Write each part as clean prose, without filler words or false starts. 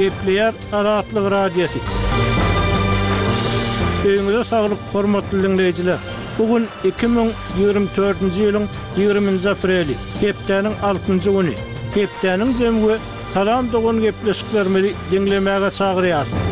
Gepleýär Azatlyk Radiosy. Öýüňize saglyk, hormatly diňleýjiler! Bu gün 2024-nji ýylyň 20-nji apreli, hepdäniň altynjy güni. Hepdäniň jemi we Salam dogan gepleşiklerimizi diňlemäge çagyrýarys.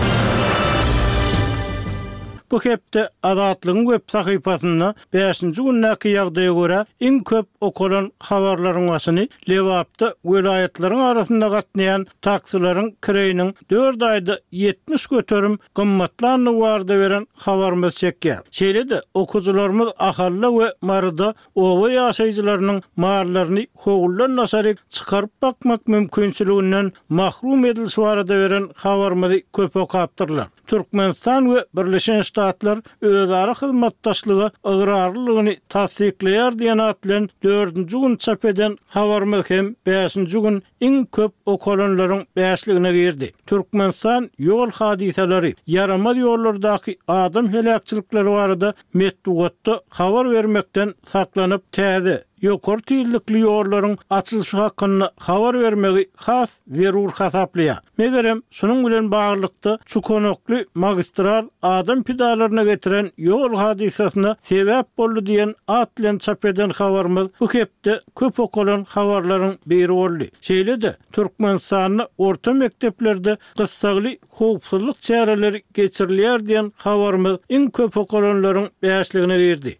Bu hepde Azatlygyň web sahypasynda bäşinji gündäki ýagdaýa görä iň köp okalan habarlaryň başyny Lebapda welaýatlaryň arasynda gatnaýan taksileriň kireýiniň dört aýda 70% gymmatlandygy barada beren habarymyz çekýär. Şeýle-de, okyjylarymyz Ahalda we Maryda oba ýaşaýjylarynyň mallaryny howludan daşaryk çykaryp bakmak mümkinçiliginden mahrum edilişi barada beren habarymyzy köp okapdyrlar. Türkmenistan we Birleşen Ştatlar özara hyzmatdaşlyga ygrarlylygyny tassyklaýar diýen at bilen dördünji gün çap eden habarymyz hem bäşinji gün iň köp okalanlaryň bäşligine girdi. Türkmenistan ýol hadysalary, ýaramaz ýollardaky adam heläkçilikleri barada metbugatda habar bermekden saklanyp, täze, ýokary tizlikli ýollaryň açylyşy hakynda habar bermegi has zerur hasaplaýar. Megerem, şunuň bilen baglylykda, çukanakly magistral adam pidalaryna getiren ýol hadysasyna sebäp boldy diýen at bilen çap eden habarymyz bu hepde köp okalan habarlaryň biri boldy. Şeýle-de, Türkmenistanda orta mekdeplerde gyssagly howpsuzlyk çäreleri geçirilýär diýen habarymyz iň köp okalanlaryň bäşligine girdi.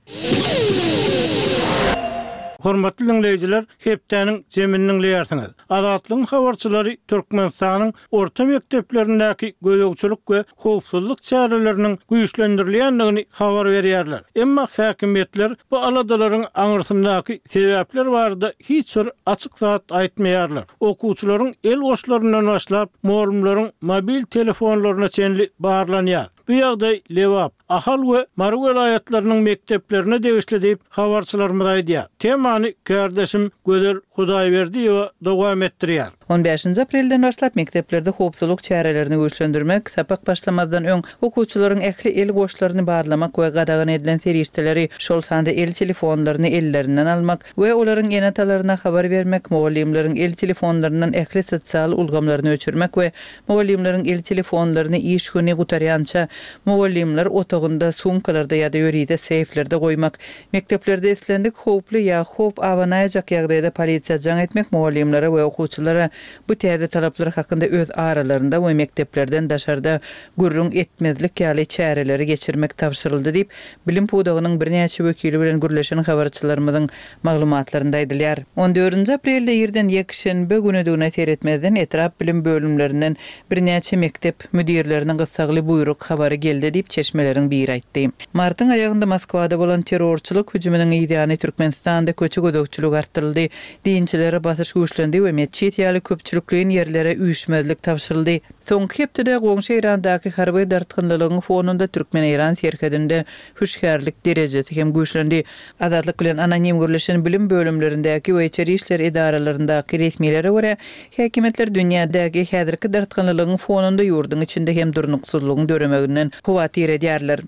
Hormatly diňleýjiler, hepdäniň jemini diňleýärsiňiz. Azatlygyň habarçylary Türkmenistanyň orta mekdeplerindäki gözegçilik we howpsuzlyk çäreleriniň güýçlendirilýändigini habar berýärler. Emma häkimiýetler bu aladalaryň aňyrsyndaky sebäpler barada hiç bir açyk zat aýtmaýarlar. Okuwçylaryň el goşlaryndan başlap, mugallymlaryň mobil telefonlaryna çenli barlanýar. Bu ýagdaý Lebap, Ahal we Mary welaýatlarynyň mekdeplerine degişli diýip, habarçylarymyz aýdýar. Temany kärdeşim Gözel Hudaýberdiýewa dowam etdirýär. On bäşinji aprelden başlap mekdeplerde howpsuzlyk çärelerini güýçlendirmek, sapak başlamazdan öň okuwçylaryň ähli el goşlaryny barlamak we gadagan edilen serişdeleri, şol sanda el telefonlaryny ellerinden almak we olaryň ene-atalaryna habar bermek, mugallymlaryň el telefonlaryndan ähli sosial ulgamlaryny öçürmek we Mugallymlaryň el telefonlaryny iş güni gutarýança mugallymlar otagynda, sumkalarda ýa-da ýörite seýflerde goýmak, mekdeplerde islendik howply ýa howp abanaýjak ýagdaýda polisiýa jaň etmek mugallymlara we okuwçylara bu täze talaplar hakynda öz aralarynda we mekdeplerden daşarda gürrüň etmezlik ýaly çäreleri geçirmek tabşyryldy diýip, bilim pudagynyň birnäçe wekili bilen gürleşen habarçylarymyzyň Maglumatlarynda aýdylýar. On dördünji aprelde irden ýekşenbe günüdigine seretmezden etrap bilim bölümlerinden birnäçe mekdep müdirlerine gyssagly buýruk habary geldi diýip çeşmeleriň biri aýtdy. Martyň aýagynda Moskwada bolan terrorçylyk hüjüminiň yzýany Türkmenistanda köçe gözegçiligi artdyryldy, dinçilere basyş güýçlendi we metjit ýaly köpçülikleýin ýerlere üýşmezlik tabşyryldy. Soňky hepdede goňşy Eýrandaky harby dartgynlylygyň fonunda türkmen-eýran serhedinde hüşgärlik derejesi hem güýçlendi. Azatlyk bilen anonim gürleşen bilim bölümlerindäki we içeri işler edaralaryndaky resmilere görä, häkimiýetler dünýädäki häzirki dartgynlylygyň fonunda ýurduň içinde hem durnuksyzlygyň döremeginden howatyr edýärler.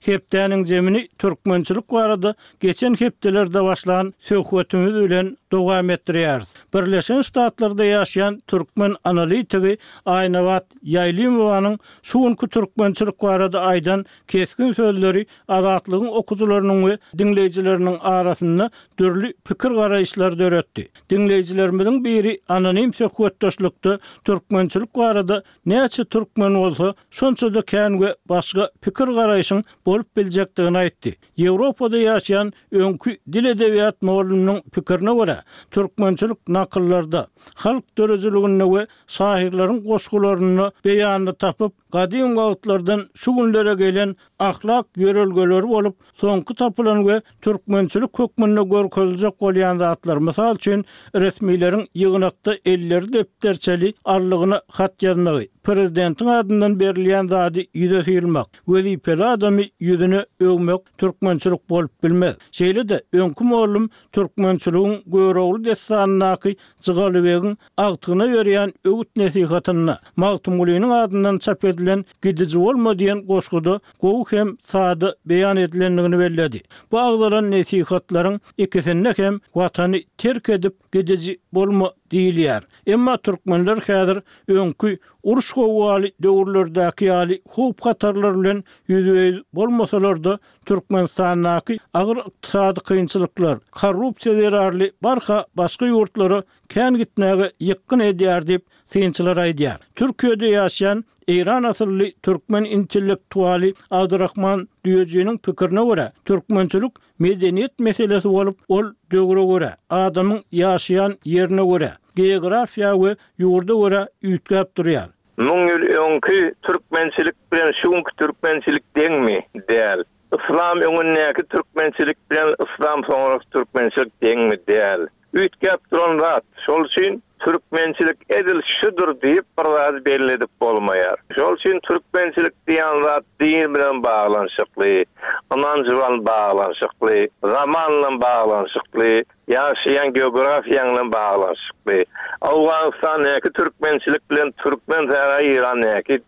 Hepdäniň jemini türkmençilik barada geçen hepdelerde başlan söhbetimiz bilen dowam etdirýäris. Birleşen Ştatlarda ýaşaýan türkmen analitigi Aýnabat Ýaýlymowanyň şu günki türkmençilik barada aýdan Kesgin sözleri Azatlygyň okyjylarynyň we diňleýjileriniň arasynda dürli pikir-garaýyşlary döretdi. Diňleýjilerimiziň biri anonim söhbetdeşlikde türkmençilik barada näçe türkmen bolsa, şonça-da kän we başga pikir-garaýşyň bolup biljekdigini aýtdy. Ýewropada ýaşaýan öňki dil-edebiýat mugallymynyň pikirine görä, türkmençilik nakyllarda, halk döredijiliginde we şahyrlaryň goşgularynda beýanyny tapyp, Gadym wagtlardan şu günlere gelen ahlak ýörelgeleri bolup, soňky tapylan we türkmençilik hökmünde görkeziljek bolýan zatlar, mysal üçin, resmileriň ýygnakda elleri depderçeli allygyna hat ýazmagy, prezidentiň adyndan berilýän zady ýüze syrmak, wezipeli adamy ýüzüne öwmek türkmençilik bolup bilmez. Şeýle-de, öňki mollum türkmençiligiň Görogly dessanyndaky Jygalybegiň agtygyna berýän öwüt-nesihatynda, Magtymgulynyň adyndan çap edilen Gidiji bolma diýen goşguda gowy hem sada beýan edilendigini belledi. Bu agzalan nesihatlaryň ikisinde hem Watany terk edip gidiji. bolma diýilýär. Emma türkmenler häzir öňki uruş-gowgaly döwürlerdäki ýaly howp-hatarlar bilen ýüzbe-ýüz bolmasalar-da, Türkmenistandaky agyr ykdysady kynçylyklar, korrupsiýa zerarly barha başga ýurtlara kän gitmäge ýykgyn edýär diýip, synçylar aýdýar. Türkiýede ýaşaýan eýran asylly türkmen intellektualy Abdurahman Düýejiniň pikirine görä, türkmençilik medeniýet meselesi bolup, ol döwre görä, adamyň ýaşaýan ýerine görä, geografiýa we ýurda görä üýtgäp durýar. Müň ýyl öňki türkmençilik bilen şu günki türkmençilik deňmi? Däl. Yslam öňündäki türkmençilik bilen yslam soňraky türkmençilik deňmi? Däl. Üýtgäp duran zat. Şol üçin türkmençilik edil şudur diýip bir zady belli edip bolmaýar. Şol üçin türkmençilik diýen zat din bilen baglanyşykly, ynanç bilen baglanyşykly, zaman bilen baglanyşykly, ýaşaýan geografiýaň bilen baglanyşykly. Owganystandäki türkmençilik bilen türkmen sähra Eýrandäki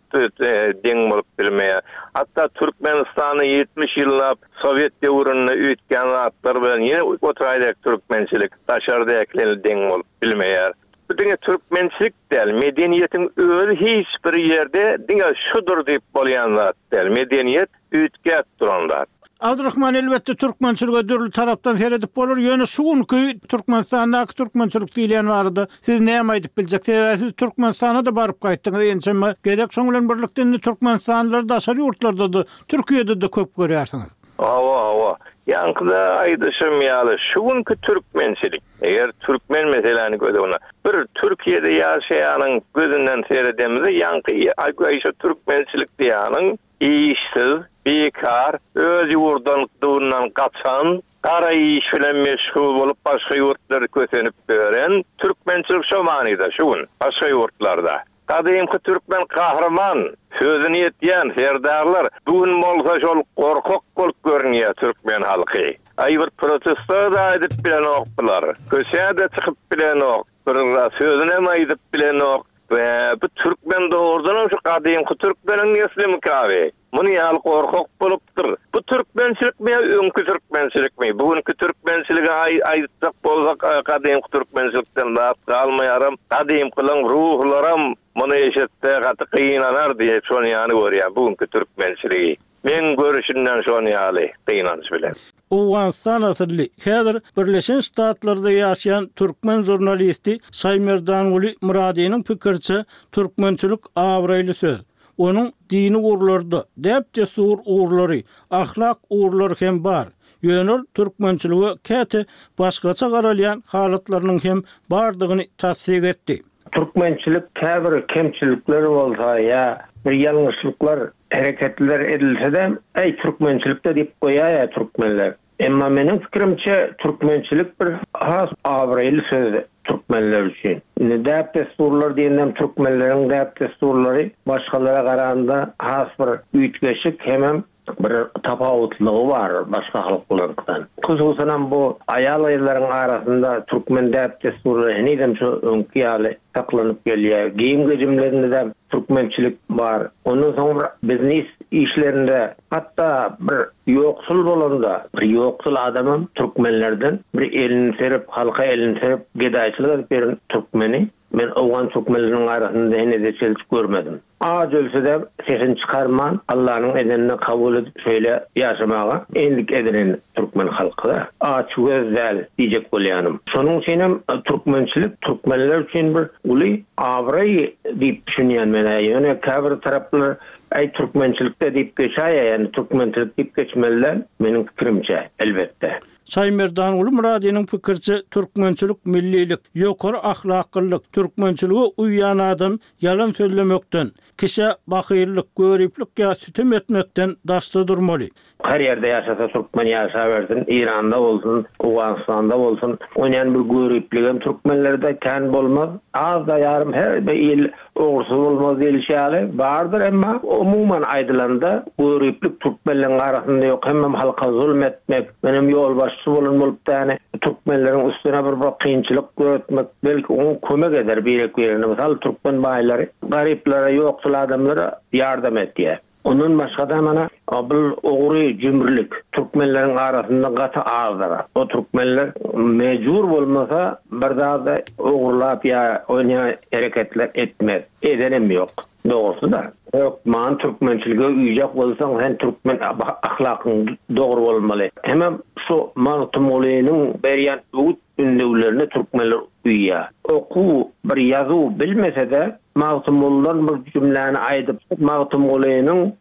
deň bolup bilmeýär. Hatda Türkmenistanda 70 ýyllap sowet döwründe üýtgän zatlar bilen ýene oturaýdäki türkmençilik daşardakilerle deň bolup bilmeýär. Bu diňe türkmençilik däl, medeniýetiň özi hiç bir ýerde diňe şudur diýip bolýan zat däl. Medeniýet üýtgäp duran zat. Abdurahman elbetde türkmençilige dürli tarapdan seredip bolar ýöne şu günki Türkmenistandaky türkmençilik diýilýän barada siz näme aýdyp biljek sebäbi siz Türkmenistana-da baryp gaýtdyňyz ençeme gezek şoň bilen birlikde indi türkmenistanlylary daşary ýurtlarda-da Türkiýede-de köp görýärsiňiz. Hawa hawa ýaňkyda aýdyşym ýaly şu günki türkmençilik eger türkmen meseläni göz öňüne bir Türkiýede ýaşaýanyň gözünden seredemizde ýaňky aýşa türkmençilik diýýäniň Işsiz, bikar, öz ýurdan-dyndan gaçan, gara iş bilen meşgul bolup başga ýurtlarda kösenip ýören türkmençilik şo manyda şu gün başga ýurtlarda. Gadymky türkmen gahryman, sözüni etýän serdarlar bu gün bolsa şol gorkak bolup görünýär türkmen halky. Aý bir protesto-da edip bilenok bular. Köçä-de çykyp bilenok. Bir sözünem aýdyp bilenok. Bä, bu türkmen dogrudanam şu gadymky türkmeniň neslimikabi? Muny ýaly gorkak bolupdyr. Bu türkmençilikmi ýa öňki türkmençilikmi? Bu günki türkmençiligi aýtjak bolsak gadymky türkmençilikden zat galmaýaram. Gadymkylaň ruhlaram muny eşitse gaty gynanar diýip şony ýany görýän bu günki türkmençiligi. Meň görüşimden şon ýaly gynanç bilen. Owganystan asylly, häzir Birleşen Ştatlarda ýaşaýan türkmen žurnalisti Şaýmerdanguly Myradynyň pikiriçe, türkmençilik abraýly söz. Onuň dini ugurlary-da, däp-dessur ugurlary, ahlak ugurlary hem bar. Ýöne ol türkmençilige käte başgaça garalýan halatlarynyň hem bardygyny tassyk etdi. Türkmençilik käbir kemçilikler bolsa ýa bir ýalňyşlyklar hereketler edilsede äý türkmençilikde diýip goýaýa türkmenler. Emma meniň pikirimçe türkmençilik bir has abraýly söz türkmenler üçin. Indi däp dessurlar diýendem türkmenleriň däp dessurlary başgalara garanda has bir üýtgeşik hemem Bir tapawutlygy bar başga halklaryňkydan. Hususanam bu aýal-gyzlaryň arasynda türkmen däp-dessurlary henizem şo öňki ýaly saklanyp gelýär. Geýim-gejimlerinde-de türkmençilik bar. Ondan soň bir biznis işlerinde hatda bir ýoksul bolanda bir ýoksul adamam türkmenlerden bir elini serip, halka elini serip gedaýçylyk edip ýören türkmeni Men owgan türkmenleriniň arasynda henize çenli görmedim. Aç ölse-de sesini çykarman, Allanyň edenini kabul edip şeýle ýaşamaga endik edinen türkmen halky-da. Açgöz däl diýjek bolýanym. Şonuň üçinem türkmençilik türkmenler üçin bir uly abraý diýip düşünýän men-ä. Ýöne käbir taraplar äý türkmençilik-de diýip geçäýýär, ýagny türkmençilik diýip geçmeli däl meniň pikirimçe, elbetde. Şaýmerdanguly Myradynyň pikiriçe, türkmençilik millilik, ýokary ahlaklylyk, türkmençilige uýýan adam ýalan sözlemekden, kişä bahyllyk, göriplik ýa sütem etmekden daşda durmaly. Her ýerde ýaşasa türkmen ýaşabersin, Eýranda bolsun, Owganystanda bolsun, onýan bir göripligem türkmenlerde kän bolmaz. Az-da ýarym her bir il Ogrusy bolmaz diýlişi ýaly, bardyr, emma umuman aýdylanda, göriplik türkmenleriň arasynda ýok, hemem halka zulm etmek, menem ýolbaşçy bolan bolup däni, türkmenleriň üstüne bir bir kynçylyk döretmek, belki oňa kömek eder birek-birine, mysal türkmen baýlary garyplara, ýoksul adamlara ýardam etýär. Ondan başgada mana bul ogry jümrülik türkmenleriň arasynda gaty azdyr. O türkmenler mejbur bolmasa bir zady ogurlap ýa onýa hereketler etmez. Edenem ýok. Dogrusy-da. Hökman türkmençilige uýjak bolsaň sen türkmen ahlakyň dogry bolmaly. Hemem şu Magtymgulynyň berýän öwüt ündewlerine türkmenler uýýar. Okuw bir ýazuw bilmese-de Magtymgulydan bir jümläni aýdyp, Magtymgulynyň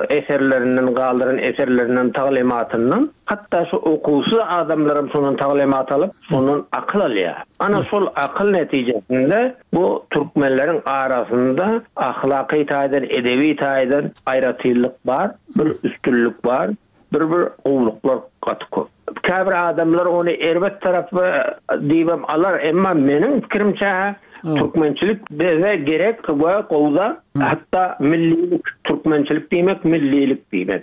eserlerinden galdyran eserlerinden taglymatyndan hatda şu okuwsyz adamlaram şondan taglymat alyp, şondan akyl alýar. Ana şol akyl netijesinde bu türkmenleriň arasynda ahlaky taýdan, edebi taýdan aýratynlyk bar, bir üstünlik bar. Bir bir gowulyklar gaty köp. Käbir adamlar ony erbet tarapy diýibem alar, emma meniň pikirimçe türkmençilik bize gerek we gowy zat. Hatda millilik, türkmençilik diýmek millilik diýmek.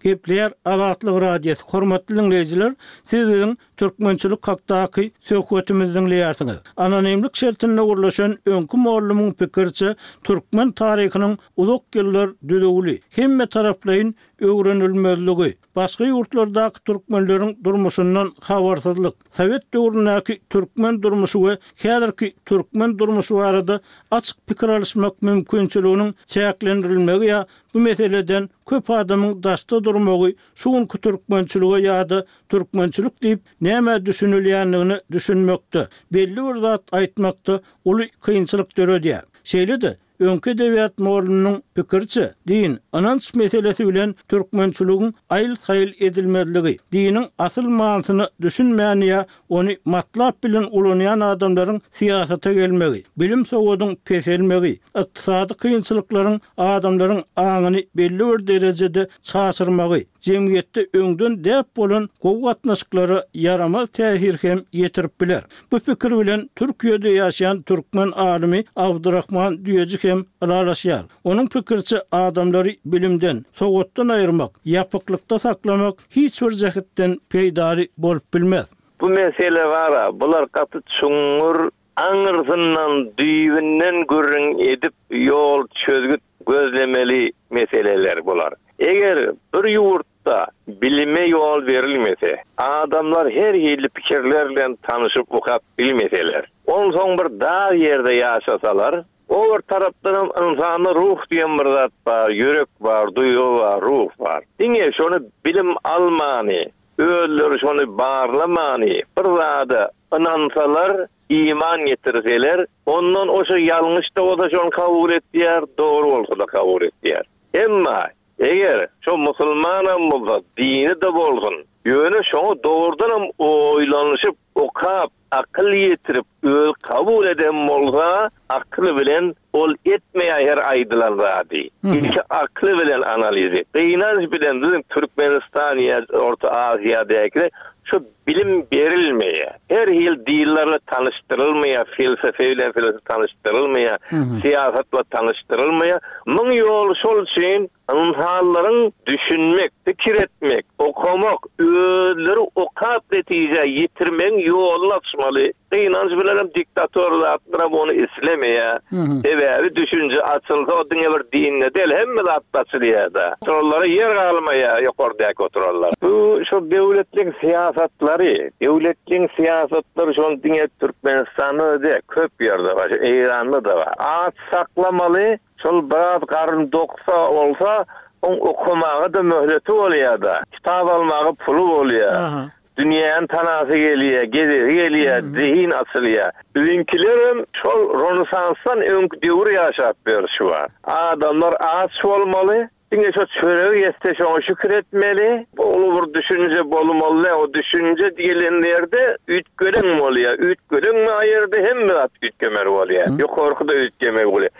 Gepleýär Azatlyk Radiosy, Hormatly diňleýjiler, siz biziň türkmençilik hakdaky söhbetimizi diňleýärsiňiz. Anonimlik şertinde gürleşen öňki mollumyň pikiriçe, türkmen taryhynyň uzak ýyllar düzüwli, hemmetaraplaýyn öwrenilmezligi, başga ýurtlardaky türkmenleriň durmuşyndan habarsyzlyk, sowet döwründäki türkmen durmuşy we häzirki türkmen durmuşy barada açyk pikir alyşmak mümkinçiliginiň çäklendirilmegi ýa bu meseleden köp adamyň daşda durmagy şu günki türkmençilige ýa-da türkmençilik diýip nämä düşünilýändigine düşünmekde, belli bir zat aýtmakda uly kynçylyk döredýär. Şeýle-de, öňki edebiýat mugallymynyň pikiriçe, din, ynanç meselesi bilen türkmençiligiň aýyl-saýyl edilmezligi, diniň asyl manysyna düşünmän ýa ony matlap bilen ulanýan adamlaryň syýasata gelmegi, bilim-sowadyň peselmegi, ykdysady kynçylyklaryň adamlaryň aňyny belli bir derejede çaşyrmagy, jemgyýetde öňden däp bolan gowy gatnaşyklara ýaramaz täsir hem ýetirip biler. Bu pikir bilen Türkiýede ýaşaýan türkmen alymy Abdurahman Düýeji hem ylalaşýar. Onuň pikiriçe, adamlary bilimden, sowatdan aýyrmak, ýapyklykda saklamak hiç bir jähetden peýdaly bolup bilmez. Bu mesele bar-a, bular gaty çuňňur, aňyrsyndan, düýbünden gürrüň edip ýol, çözgüt gözlemeli meseleler bular. Eger bir ýurtda bilime ýol berilmese, adamlar her hili pikirler bilen tanyşyp okap bilmeseler, onsoň bir dar ýerde ýaşasalar, o bir tarapdanam ynsanda ruh diýen bir zat bar, ýürek bar, duýgy bar, ruh bar. Diňe şony bilim almany, özleri şony barlamany, bir zada ynansalar, iman getirseler, ondan oşa ýalňyş-da bolsa şony kabul etýär, dogry bolsa-da kabul etýär. Emma, eger şo musulmanam bolsa, dini-de bolsun, ýöne şoňa dogrudanam oýlanyşyp, okap, akyl ýetirip, özi kabul eden bolsa, akyly bilen ol etmeýär her aýdylan zady. Ilki akly bilen analiz et. Gynanç bilen biziň Türkmenistan ýa Orta Aziýadaky şu bilim berilmeýär. Her hil dillerle tanyşdyrylmaýar, felsefe bilen tanyşdyrylmaýar, syýasatla tanyşdyrylmaýar. Muň ýoly şol üçin Ynsanlaryň düşünmek, pikir etmek, okamak, özleri okap netijä ýetirmegiň ýoluny açmaly. Gynanç bilenem diktator zatlaram ony islemeýär. Sebäbi düşünje açylsa o diňe bir dinde däl hemme zatda açylýada. Oturanlara ýer galmaýar ýokardäki oturanlara. Bu şo döwletliň syýasatlary, döwletliň syýasatlary şony diňe Türkmenistanda-da däl köp ýerde bar, şu Eýranda-da bar. Aç saklamaly, Şol biraz garyn doksa bolsa, oň okamaga-da möhleti bolýar-da. Kitap almaga puly bolýar. Dünýäni tanasy gelýär, gezesi gelýär, zehin açylýar. Biziňkilerem şol Ronesansdan öňki döwür ýaşap ýör şu wagt. Adamlar aç bolmaly, diňe şo çöregi ýetse şoňa şükür etmeli. Uly bir düşünje bolmaly däl. O düşünje gelen ýerde üýtgeleň bolýar. Üýtgeleň ýerde hemme zat üýtgemeli bolýar. Ýokarky-da üýtgemeli bolýar.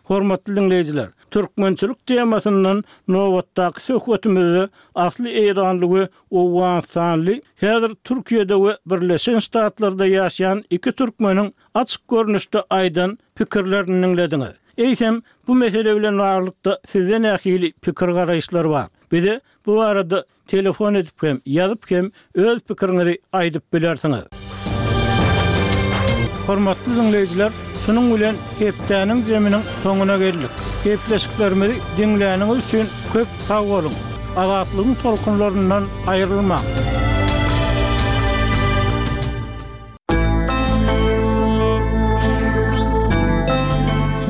Hormatly diňleýjiler, türkmençilik temasyndan nobatdaky söhbetimizde asly eýranly we owganystanly, häzir Türkiýede we Birleşen Ştatlarda ýaşaýan iki türkmeniň açyk görnüşde aýdan pikirlerini diňlediňiz. Eýsem, bu mesele bilen baglylykda sizde nähili pikir-garaýyşlar bar? Bize bu barada Telefon edip hem, ýazyp hem öz pikiriňizi aýdyp bilersiňiz. Hormatly diňleýjiler, şunuň bilen hepdäniň zeminiň soňuna geldik. Gepleşiklerimizi diňläniňiz üçin köp sag boluň! Azatlygyň tolkunlaryndan aýrylmaň!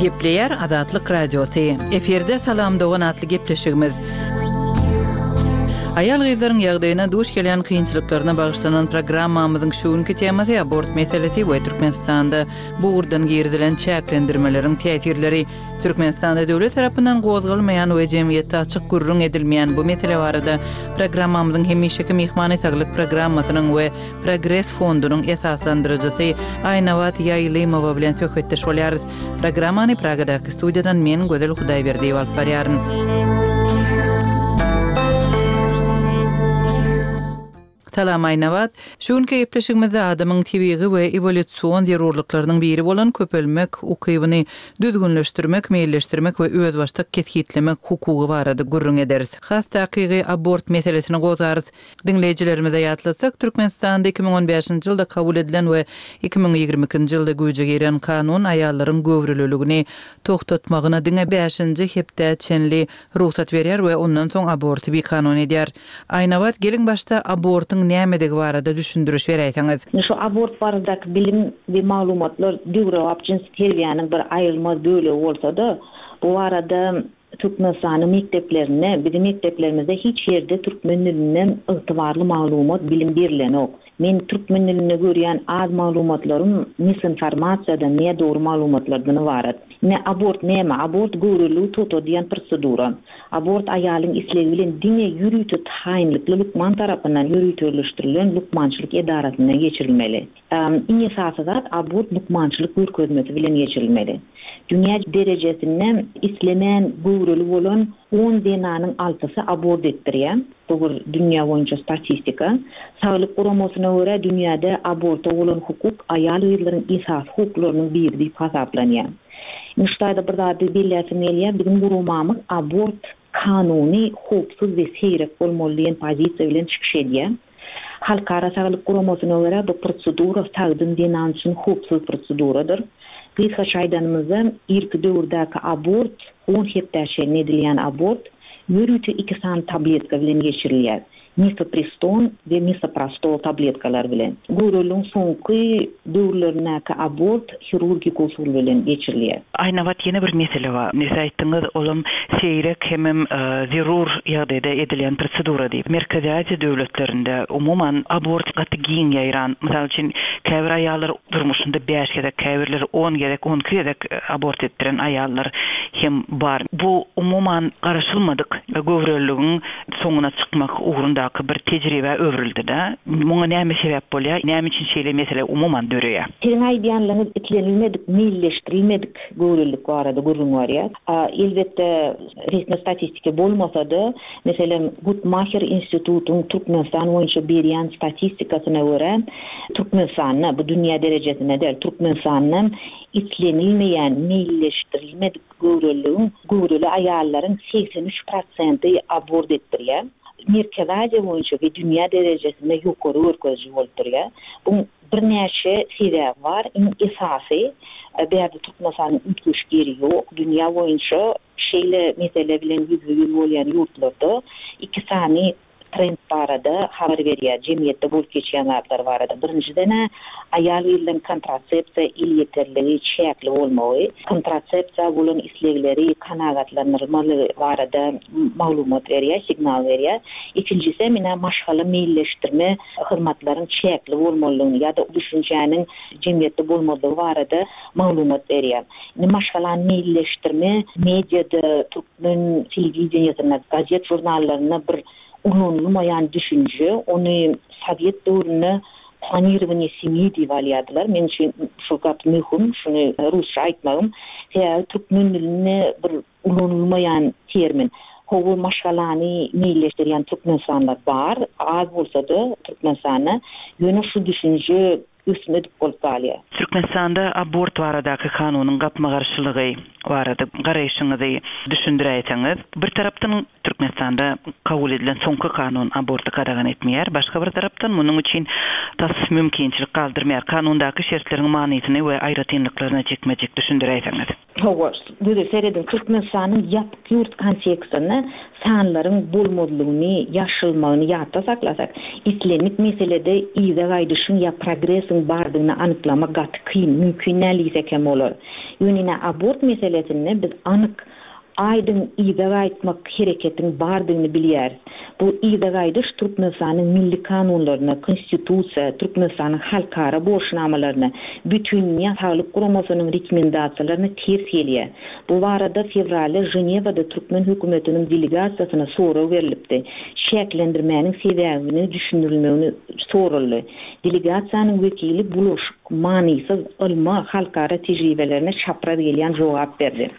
Gepleýär Azatlyk Radiosy. Efirde Salam dogan atly gepleşigimiz. Aýal-gyzlaryň ýagdaýyna duş gelýän kynçylyklaryna bagyşlanan programmamyzyň şu günki temasy abort meselesi we Türkmenistanda bu ugurdan girizilen çäklendirmeleriň täsirleri. Türkmenistanda döwlet tarapyndan gozgalmaýan we jemgyýetde açyk gürrüň edilmeýän bu mesele barada programmamyzyň hemişeki myhmany Saglyk programmasynyň we Progres fondunyň esaslandyryjysy Aýnabat Ýaýlymowa bilen söhbetdeş bolýarys. Programmany Pragadaky studiýadan men Gözel Hudaýberdiýewa alyp barýaryn. Salam Aýnabat! Şu günki gepleşigimizde adamyň tebigy we ewolýusion zerurlyklarynyň biri bolan köpelmek ukybyny düzgünleşdirmek, meýilleşdirmek we özbaşdak kesgitlemek hukugy barada gürrüň ederis. Has takygy abort meselesini gozgarys. Diňleýjilerimize ýatlatsak, Türkmenistanda 2015-nji ýylda kabul edilen we 2022-nji ýylda güýje giren kanun aýallaryň göwreliligini togtatmagyna diňe bäşinji hepdä çenli rugsat berýär we ondan soň aborty bikanun edýär. Aýnabat, geliň başda abortyň nämedigi barada düşündiriş beräýseňiz. Indi şu abort baradaky bilim we maglumatlar döwrebap jynsy terbiýäniň bir aýrylmaz bölegi bolsa-da, bu barada Türkmenistanyň mekdeplerinde, biziň mekdeplerimizde hiç ýerde türkmen dilinden ygtybarly maglumat, bilim berilenok. Men türkmen dilinde görýän az maglumatlarym misinformasiýadan, nädogry maglumatlardan ybarat. Ine, abort näme? Abort göwreliligi togtadýan prosedura. Abort aýalyň islegi bilen diňe ýörite taýynlykly lukman tarapyndan ýöriteleşdirilen lukmançylyk edarasynda geçirilmeli. Iň esasy zat, abort lukmançylyk görkezmesi bilen geçirilmeli. Dünýä derejesinde islemän göwreli bolan on zenanyň altysy abort etdirýär. Bu bir dünýä boýunça statistika. Saglyk guramasyna görä, dünýäde aborta bolan hukuk aýal-gyzlaryň esasy hukuklarynyň biri diýip hasaplanýar. Indi şu taýda bir zady belläsim gelýär, biziň guramamyz abort kanuny, howpsuz we seýrek bolmaly diýen pozisiýa bilen çykyş edýär. Halkara saglyk guramasyna görä, bu prosedura sagdyn zenan üçin howpsuz proseduradyr. Gysgaça aýdanymyzda, irki döwürdäki abort, on hepdä çenli edilýän abort, ýörite iki sany tabletka bilen geçirilýär, mifepriston we misoprostol tabletkalary bilen. Göwreliligiň soňky döwürlerindäki abort hirurgik usul bilen geçirilýär. Aýnabat ýene bir mesele bar. Siz aýtdyňyz, olam seýrek hemem zerur ýagdaýda edilýän prosedura diýip. Merkezi Aziýa döwletlerinde umuman abort gaty giň ýaýran. Mysal üçin, käbir aýallar durmuşynda bäş gezek, käbirleri on gezek, on iki gezek abort etdiren aýallar hem bar. Bu umuman garaşylmadyk göwreliligiň soňuna çykmak ugrundaky bir tejribä öwrüldi-de. Muňa näme sebäp bolýar? Näme üçin şeýle mesele umuman döreýär? Siziň aýdýanlaryňyz islenilmedik, meýilleşdirilmedik göwrelilik barada gürrüň barýar. Elbetde, resmi statistika bolmasa-da, meselem, Guttmacher institutyň Türkmenistan boýunça berýän statistikasyna görä, Türkmenistanda, bu dünýä derejesinde däl, Türkmenistanda islenilmeýän, meýilleşdirilmedik Göwreliligiň göwreli aýallaryň 83 prosenti abort etdirýär. Merkezi Aziýa boýunça we dünýä derejesinde ýokary görkeziji bolup durýar. Buň birnäçe sebäbi bar. Iň esasy, bärde Türkmenistanyň üýtgeşik ýeri ýok. Dünýä boýunça şeýle mesele bilen ýüzbe-ýüz bolýan ýurtlarda iki sany trend barada habar berýär, jemgyýetde bolup geçýän zatlar barada. Birinjiden-ä, aýal-gyzlaryň kontrasepsiýa elýeterligi çäkli bolmagy, kontrasepsiýa bolan islegleri kanagatlandyrylmalygy barada maglumat berýär, signal berýär. Ikinjisem, ine, maşgala meýilleşdirme hyzmatlaryň çäkli bolmalydygyny ýa-da düşünjäniň jemgyýetde bolmazlygy barada maglumat berýär. Indi maşgalany meýilleşdirme mediada, türkmen telewideniýesinde, gazet-žurnallarynda bir ulanylmaýan düşünje. Ony sowet döwründe planirowaniýe semýi diýip alýardylar. Meň üçin şu gaty möhüm, şuny rusça aýtmagym. Sebäbi türkmen dilinde bir ulanylmaýan termin. Hawa, maşgalany meýilleşdirýän türkmenistanlylar bar, az bolsa-da Türkmenistanda. Ýöne şu düşünje ösmedik bolup galýar. Türkmenistanda abort baradaky kanunyň gapma-garşylygy. barada garaýşyňyzy düşündiräýseňiz. Bir tarapdan Türkmenistanda kabul edilen soňky kanun aborty gadagan etmeýär, başga bir tarapdan munuň üçin tas mümkinçilik galdyrmaýar. Kanundaky şertleriň manysyny we aýratynlyklaryny jikme-jik düşündiräýseňiz. Hawa, gözel serediň, Türkmenistanyň ýapyk ýurt kontekstinde sanlaryň bolmazlygyny, ýaşyrylmagyny ýatda saklasak, islendik meselede yza gaýdyşyň ýa progresiň bardygyny anyklamak gaty kyn, mümkin däl diýsek hem bolar. Ýöne ine abort meselesinde biz anyk Aýdyň yza gaýtmak hereketiň bardygyny bilýäris. Bu yza gaýdyş Türkmenistanyň milli kanunlaryna, Konstitusiýa, Türkmenistanyň halkara borçnamalaryna, Bütindünýä saglyk guramasynyň rekomendasiýalaryna ters gelýär. Bu barada fewralda Ženewada türkmen hökümetiniň delegasiýasyna sorag berlipdi. Çäklendirmäniň sebäbini düşündirilmegini soraldy. Delegasiýanyň wekili bulaşyk, manysyz, ylma, halkara tejribelerine çapraz gelýän jogap berdi.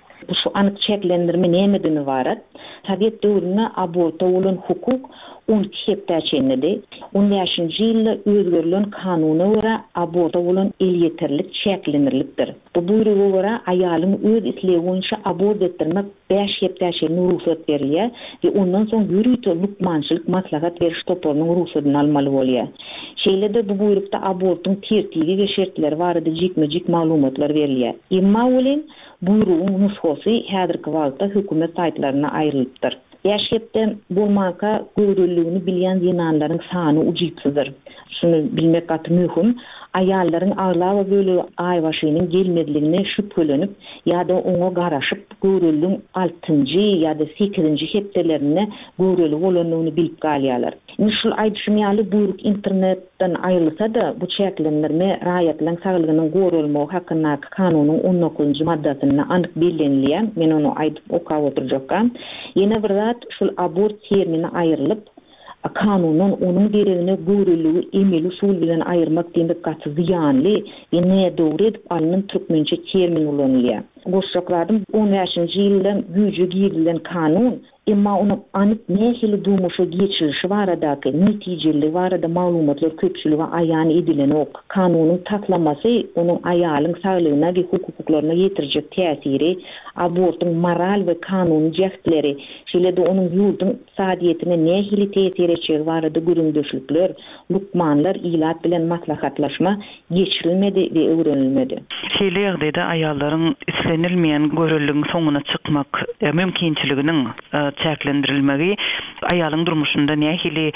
Şu anyk çäklendirme nämeden ybarat? Sowet döwründe aborta bolan hukuk 12 hepdä çenlidi. On bäşinji ýylda özgerilen kanuna görä aborta bolan elýeterlik çäklendirilipdir. Bu buýruga görä aýalyň öz islegi boýunça abort etdirmek bäş hepdä çenli rugsat berilýär we ondan soň ýörite lukmançylyk maslahat beriş toparynyň rugsadyny almaly bolýar. Şeýle-de bu buýrukda abortyň tertibi we şertleri barada jikme-jik maglumatlar berilýär. Emma welin, Buýrugyň nusgasy häzirki wagtda hökümet saýtlarynda aýrylypdyr. Bäş hepde bolmanka göwreliligini bilýän zenanlaryň sany ujypsyzdyr. Şuny bilmek gaty möhüm, aýallaryň aglaba bölegi aýbaşynyň gelmezligine şübhelenip ýa-da oňa garaşyp, göwreliligiň altynjy ýa-da sekizinji hepdelerinde göwreli bolandygyny bilip galýarlar. Indi şul aýdyşym ýaly buýruk internet Dan aýrylsa-da, bu çäklendirme Raýatlaryň saglygynyň goralmagy hakyndaky kanunyň on dokuzynjy maddasynda anyk bellenilýär. Men ony aýdyp okap oturjakka. Ýene bir zat, şul abort termini aýrylyp, kanundan onuň deregine göwreliligi emeli usul bilen aýyrmak diýmek gaty zyýanly we nädogry edip alnan türkmençe termin ulanylýar. Goşjak zadym, on bäşinji ýylda güýje girizilen kanun Emma onuň anyk nähili durmuşa geçirilişi baradaky, netijeliligi barada maglumatlar köpçülige aýan edilenok. Kanunyň taslamasy onuň aýalyň saglygyna we hukuklaryna ýetirjek täsiri, abortyň moral we kanuny jähtleri, şeýle-de onuň ýurduň ykdysadyýetine nähili täsir etjegi barada gürrüňdeşlikler, lukmanlar, ilat bilen maslahatlaşma geçirilmedi we öwrenilmedi. Şeýle ýagdaýda aýallaryň islenilmeýän göreligiň soňuna çykmak mümkinçiliginiň çäklendirilmegi aýalyň durmuşynda nähili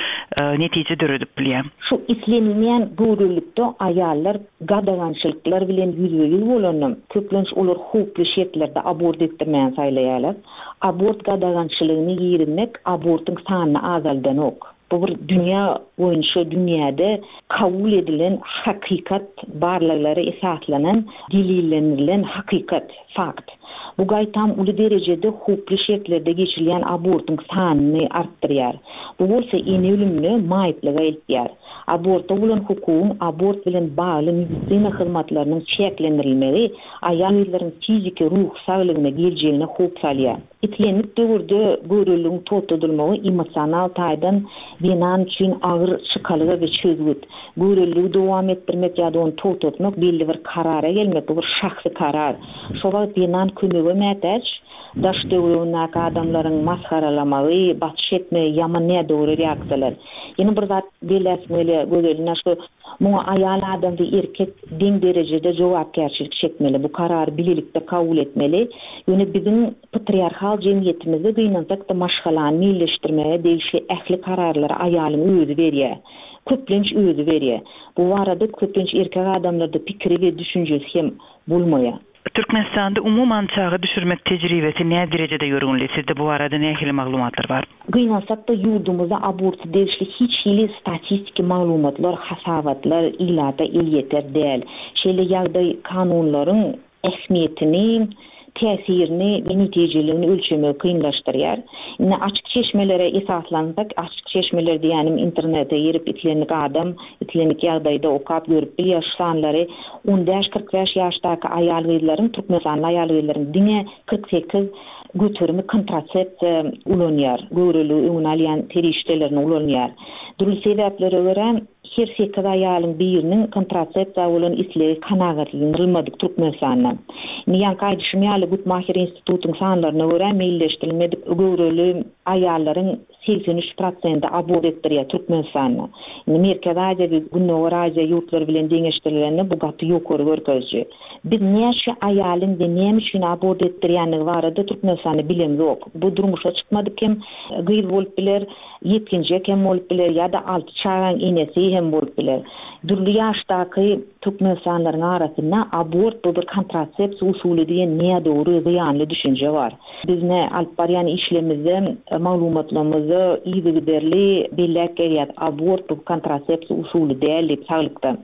netije döredip bilýär? Şu islenilmeýän göwrelilikde aýallar gadagançylyklar bilen ýüzbe-ýüz bolanda, köplenç olar howply şertlerde abort etdirmäni saýlaýarlar. Abort gadagançylygyny girizmek abortyň sanyny azaldanok. Bu bir dünýä boýunça dünýäde kabul edilen hakykat, barlaglara esaslanan, delillendirilen hakykat, fakt. Bu gaýtam uly derejede howply şertlerde geçirilýän abortyň sanyny artdyrýar. Bu bolsa ene ölümine, maýyplyga eltýär. Aborta bolan hukugyň abort bilen bagly medisina hyzmatlarynyň çäklendirilmegi aýal-gyzlaryň fiziki, ruhy saglygyna, geljegine howp salýar. Islendik döwürde göwreliligiň togtadylmagy emosional taýdan zenan üçin agyr çykalga we çözgüt. Göwreliligi dowam etdirmek ýa-da ony togtatmak belli bir karara gelmek, bu bir şahsy karar. Şo wagt zenan kömege mätäç, daş-töweregindäki adamlaryň masgaralamagy, basyş etmegi ýaman nädogry reaksiýalar. Ýene bir zat belläsim gelýär Gözel, ine şu muňa aýal adam we erkek deň derejede jogapkärçilik çekmeli, bu karary bilelikde kabul etmeli. Ýöne biziň patriarhal jemgyýetimizde gynansak-da maşgalany meýilleşdirmäge degişli ähli kararlary aýalyň özi berýär. Köplenç özi berýär. Bu barada köplenç erkek adamlarda pikiri we düşünjesi hem bolmaýar. Türkmenistanda umuman çaga düşürmek tejribesi nä derejede ýörgünli? Sizde bu barada nähili maglumatlar bar? Gynansak-da, ýurdumyzda aborta degişli hiç hili statistiki maglumatlar, hasabatlar ilata elýeter däl. Şeýle ýagdaý kanunlaryň ähmiýetini, täsirini we netijeligini ölçemegi kynlaşdyrýar. Indi açyk çeşmelere esaslansak, açyk çeşmeler diýýänim internete girip islendik adam islendik ýagdaýda okap görüp bilýär şu sanlary, on bäş, 45 ýaşdaky aýal-gyzlaryň, türkmenistanly aýal-gyzlaryň diňe 48 göterimi kontrasepsiýa ulanýar, göwreliligi öňüni alýan serişdelerini ulanýar. Dürli sebäplere görä, her sekiz aýalyň biriniň kontrasepsiýa bolan islegi kanagatlandyrylmadyk Türkmenistanda. Indi ýaňky aýdyşym ýaly Gutmaher institutyň sanlaryna görä meýilleşdirilmedik göwreli aýallaryň 83 prosenti abort etdirýär Türkmenistanda. Indi Merkezi Aziýa we Gündogar Aziýa ýurtlary bilen deňeşdirilende bu gaty ýokary görkeziji. Biz näçe aýalyň we näme üçin abort etdirýändigi barada Türkmenistanda bilemzok. Bu durmuşa çykmadyk hem gyz bolup biler, ýetginjek hem bolup biler ýa-da alty çagaň enesi hem bolup biler. Dürli ýaşdaky türkmenistanlylaryň arasynda abort bu bir kontrasepsiýa usuly diýen nädogry, zyýanly düşünje bar. Biz ne alyp barýan işlerimizde, maglumatlarymyzda yzygiderli belläp gelýäs, abort bu kontrasepsiýa usuly däl diýip saglykda.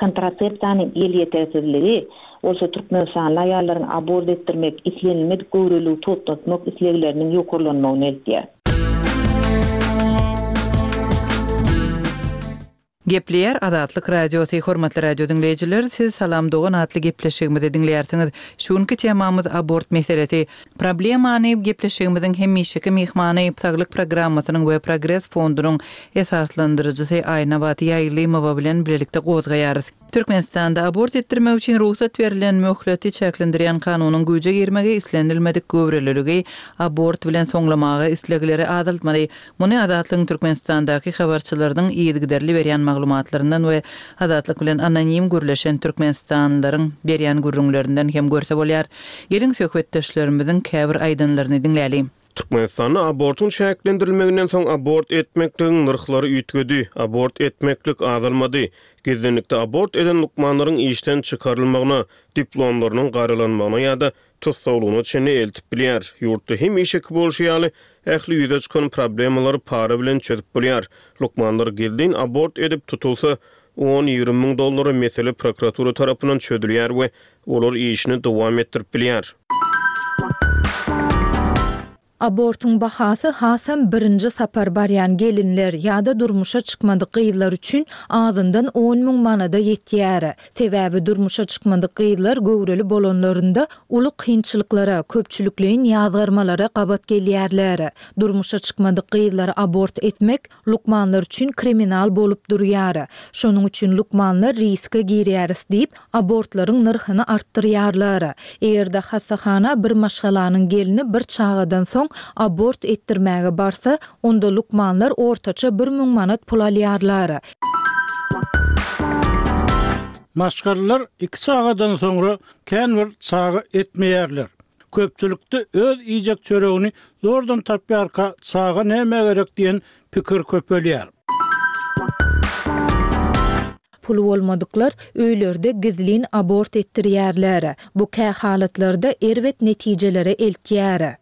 Kontrasepsiýanyň elýetersizligi bolsa türkmenistanly aýallaryň abort etdirmek, islenilmedik göwreliligi togtatmak islegleriniň ýokarlanmagyna eltýär. Gepleýär Azatlyk Radiosy, Hormatly radio diňleýjiler, siz Salam dogan atly gepleşigimizi diňleýärsiňiz. Şu günki temamyz abort meselesi. Problemany gepleşigimiziň hemişeki myhmany, Saglyk programmasynyň we Progres fondunyň esaslandyryjysy Aýnabat Ýaýlymowa bilen bilelikde gozgaýarys. Türkmenistanda abort etdirmek üçin rugsat berlen möhleti çäklendirýän kanunyň güýje girmegi islenilmedik göwreliligi abort bilen soňlamaga islegleri azaltmaly. Muny Azatlygyň Türkmenistandaky habarçylarynyň yzygiderli berýän maglumatlaryndan we Azatlyk bilen anonim gürleşen türkmenistanlylaryň berýän gürrüňlerinden hem görse bolýar. Geliň söhbetdeşlerimiziň käbir aýdanlaryny diňläliň. Türkmenistanda abortyň çäklendirilmeginden soň abort etmekligiň nyrhlary üýtgedi, abort etmeklik azalmady. Gizlinlikde abort eden lukmanlaryň işden çykarylmagyna, diplomlarynyň garalanmagyna ýa-da tussaglygyna çenli eltip bilýär. Ýurtda hemişeki bolşy ýaly, ähli ýüze çykan problemalary para bilen çözüp bolýar. Lukmanlar gizlin abort edip tutulsa, on-ýigrimi müň dollara mesele prokuratura tarapyndan çözülýär we olar işini dowam etdirip bilýär. Abortyň bahasy hasam birinji sapar barýan gelinler ýa-da durmuşa çykmadyk gyzlar üçin azyndan on müň manada ýetýär. Sebäbi durmuşa çykmadyk gyzlar göwreli bolanlarynda uly kynçylyklara, köpçülikleýin ýazgarmalara gabat gelýärler. Durmuşa çykmadyk gyzlary abort etmek Lukmanlar üçin kriminal bolup durýar. Şonuň üçin lukmanlar riske girýäris diýip, abortlaryň nyrhyny artdyrýarlar. Eger-de hassahana bir maşgalanyň gelni bir çagadan soň abort etdirmäge barsa, onda lukmanlar ortaça 1000 manat pul alýarlar. Maşgalalar iki çagadan soňra kän bir çaga etmeýärler. Köpçülikde öz iýjek çöregini zordan tapýarka çaga nämä gerek diýen pikir köpelýär. Puly bolmadyklar öýlerde gizlin abort etdirýärler. Bu kä halatlarda erbet netijelere eltýär.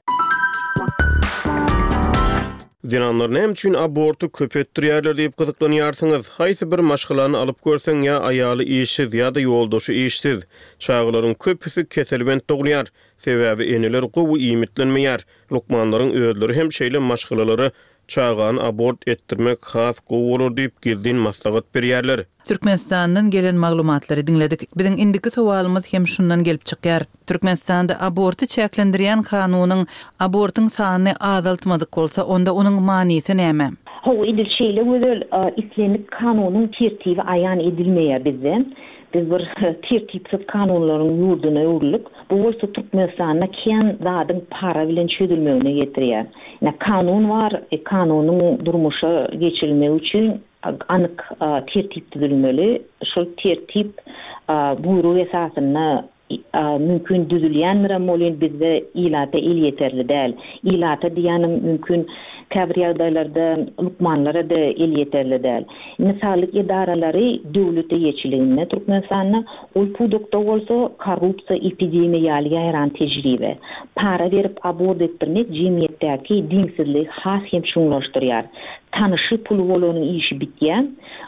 Zenanlar näme üçin aborty köp etdirýärler diýip gyzyklanýarsyňyz? Haýsy bir maşgalany alyp görseň ýa aýaly işsiz ýa-da ýoldaşy işsiz. Çagalaryň köpüsi keselbent dogulýar. Sebäbi eneler gowy iýmitlenmeýär. Lukmanlaryň özleri hem şeýle maşgalalara çagany abort etdirmek has gowy bolar diýip gizlin maslahat berýärler. Türkmenistandan gelen maglumatlary diňledik. Biziň indiki sowalymyz hem şundan gelip çykýar. Türkmenistanda aborty çäklendirýän kanunyň abortyň sanyny azaltmadyk bolsa, onda onuň manysy näme? Hawa, edil şeýle gözel, islendik kanunyň tertibi aýan edilmeýär bizde. Biz bir tertipsiz kanunlaryň ýurduna öwrüldik. Bu bolsa Türkmenistanda kän zadyň para bilen çözülmegine getirýär. Ine, kanun bar, kanunyň durmuşa geçirilmegi üçin anyk tertip düzülmeli. Şol tertip buýruk esasynda mümkin düzülýändirem welin bizde ilata elýeterli däl. Ilata diýýänim mümkin käbir ýagdaýlarda lukmanlara-da elýeterli däl. Indi saglyk edaralary döwlet eýeçiliginde Türkmenistanda, ol pudakda bolsa korrupsiýa epidemiýa ýaly ýaýran tejribe. Para berip abort etdirmek jemgyýetdäki deňsizligi has hem çuňlaşdyrýar. Tanyşy puly bolanyň işi bitýär.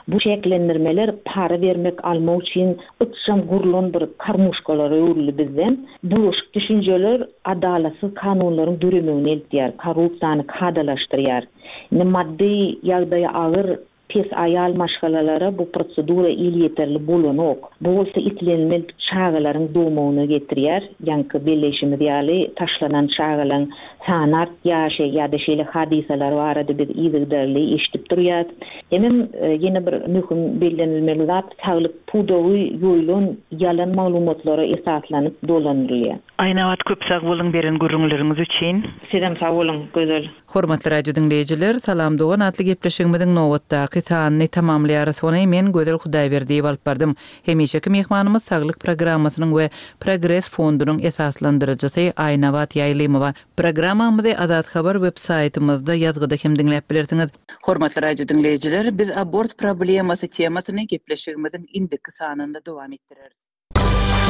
Bu çäklendirmeler para bermek almak üçin ykjam gurlan bir karmuşkalara öwrüldi bizde. Bulaşyk düşünjeler adalatsyz kanunlaryň döremegine eltýär, korrupsiýany kadalaşdyrýar. Indi maddy ýagdaýy agyr, pes aýal maşgalalara bu prosedura elýeterli bolanok. Bu bolsa islenilmedik çagalaryň dogmagyna getirýär. Ýaňky belleýşimiz ýaly, taşlanan çagalaryň. Sany artýar, şeý ýa-da şeýle hadysalar barada biz yzygiderli eşidip durýas. Hemem ýene bir möhüm bellenilmeli zat, saglyk pudagy ýoýulan ýalan maglumatlara esaslanyp dolandyrylýar. Aýnabat köp sag boluň beren gürrüňleriňiz üçin. Sizem sag boluň Gözel. Hormatly radio diňleýjiler, Salam dogan atly gepleşigimiziň nobatdaky sanyny tamamlaýarys. Ony men Gözel Hudaýberdiýewa alyp bardym. Hemişeki myhmanymyz Saglyk programmasynyň we Progres fondunyň esaslandyryjysy Aýnabat Ýaýlymowa. Programmamyzy Azat Habar web saýtymyzda ýazgyda hem diňläp bilersiňiz. Hormatly radio diňleýjiler, biz abort problemasy temasyny gepleşigimiziň indiki sanynda dowam etdireris.